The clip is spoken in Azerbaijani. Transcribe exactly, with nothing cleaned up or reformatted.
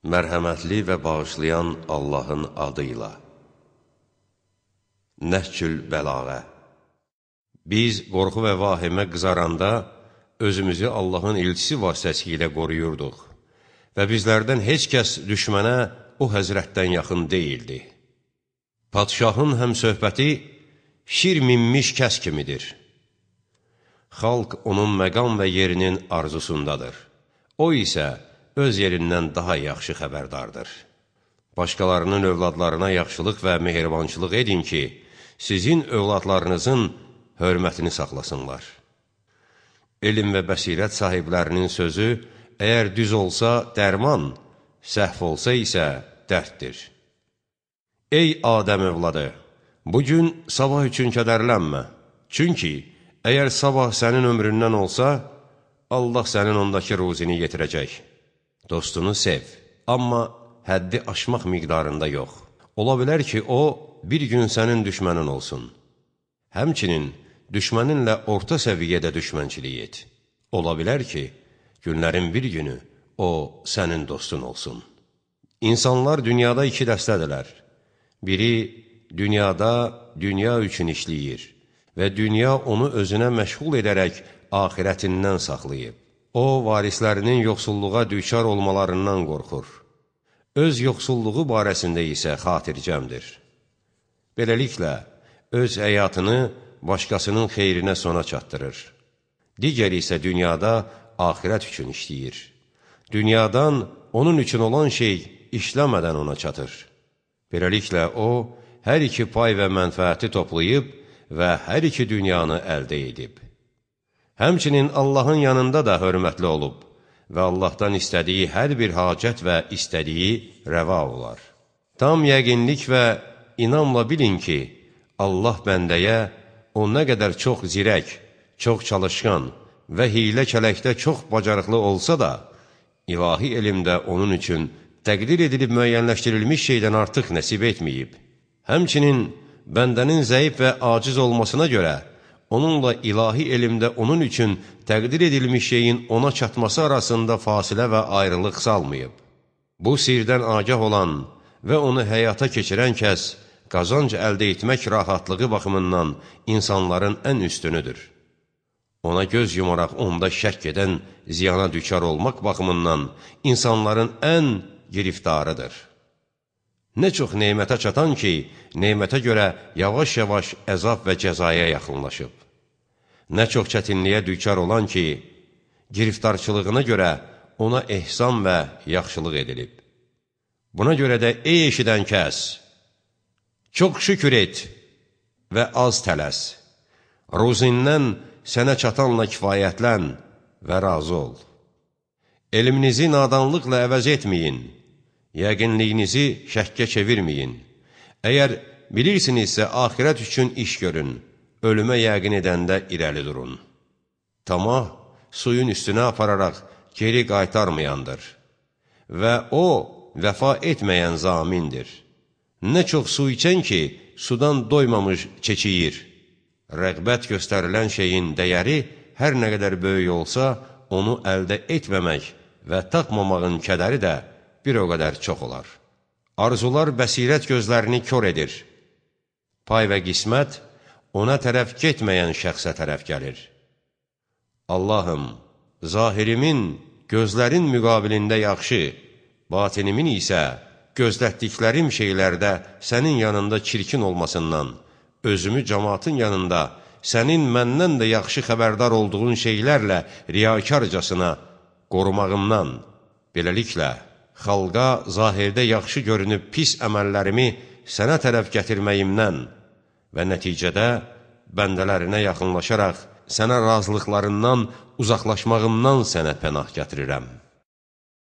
Mərhəmətli və bağışlayan Allahın adıyla. Nəhcül Bəlağə. Biz qorxu və vahimə qızaranda özümüzü Allahın elçisi vasitəsilə qoruyurduq və bizlərdən heç kəs düşmənə o həzrətdən yaxın deyildi. Padşahın həmsöhbəti şir minmiş kəs kimidir. Xalq onun məqam və yerinin arzusundadır. O isə öz yerindən daha yaxşı xəbərdardır. Başqalarının övladlarına yaxşılıq və mehribançılıq edin ki, sizin övladlarınızın hörmətini saxlasınlar. Elm və bəsirət sahiblərinin sözü, əgər düz olsa dərman, səhv olsa isə dərddir. Ey Adəm övladı, bugün sabah üçün kədərlənmə. Çünki əgər sabah sənin ömründən olsa, Allah sənin ondakı ruzini yetirəcək. Dostunu sev, amma həddi aşmaq miqdarında yox. Ola bilər ki, o, bir gün sənin düşmənin olsun. Həmçinin, düşməninlə orta səviyyədə düşmənçilik et. Ola bilər ki, günlərin bir günü o, sənin dostun olsun. İnsanlar dünyada iki dəstədilər. Biri, dünyada dünya üçün işləyir və dünya onu özünə məşğul edərək axirətindən saxlayıb. O, varislərinin yoxsulluğa düçar olmalarından qorxur. Öz yoxsulluğu barəsində isə xatircəmdir. Beləliklə, öz həyatını başqasının xeyrinə sona çatdırır. Digəri isə dünyada axirət üçün işləyir. Dünyadan onun üçün olan şey işləmədən ona çatır. Beləliklə, o, hər iki pay və mənfəəti toplayıb və hər iki dünyanı əldə edib. Həmçinin Allahın yanında da hörmətli olub və Allahdan istədiyi hər bir hacət və istədiyi rəva olar. Tam yəqinlik və inamla bilin ki, Allah bəndəyə o nə qədər çox zirək, çox çalışqan və hilə-kələkdə çox bacarıqlı olsa da, ilahi elmdə onun üçün təqdir edilib müəyyənləşdirilmiş şeydən artıq nəsib etməyib. Həmçinin bəndənin zəif və aciz olmasına görə, onunla ilahi elmdə onun üçün təqdir edilmiş şeyin ona çatması arasında fasilə və ayrılıq salmayıb. Bu sirdən agah olan və onu həyata keçirən kəs qazanc əldə etmək rahatlığı baxımından insanların ən üstünüdür. Ona göz yumaraq onda şəkk edən ziyana düçar olmaq baxımından insanların ən giriftarıdır. Nə çox neymətə çatan ki, neymətə görə yavaş-yavaş əzab və cəzaya yaxınlaşıb. Nə çox çətinliyə düçar olan ki, giriftarçılığına görə ona ehsan və yaxşılıq edilib. Buna görə də ey eşidən kəs, çox şükür et və az tələs. Ruzindən sənə çatanla kifayətlən və razı ol. Elminizi nadanlıqla əvəz etməyin, yəqinliyinizi şəkkə çevirməyin. Əgər bilirsinizsə, axirət üçün iş görün, ölümə yəqin edəndə irəli durun. Tamah, suyun üstünə apararaq geri qaytarmayandır və o, vəfa etməyən zamindir. Nə çox su içən ki, sudan doymamış çeçiyir. Rəğbət göstərilən şeyin dəyəri hər nə qədər böyük olsa, onu əldə etməmək və tapmamağın kədəri də bir o qədər çox olar. Arzular bəsirət gözlərini kör edir. Pay və qismət ona tərəf getməyən şəxsə tərəf gəlir. Allahım, zahirimin gözlərin müqabilində yaxşı, batinimin isə gözlətdiklərim şeylərdə sənin yanında çirkin olmasından, özümü cəmaatın yanında sənin məndən də yaxşı xəbərdar olduğun şeylərlə riyakarcasına qorumağımdan, beləliklə, xalqa zahirdə yaxşı görünüb pis əməllərimi sənə tərəf gətirməyimdən və nəticədə bəndələrinə yaxınlaşaraq sənə razılıqlarından uzaqlaşmağımdan sənə pənah gətirirəm.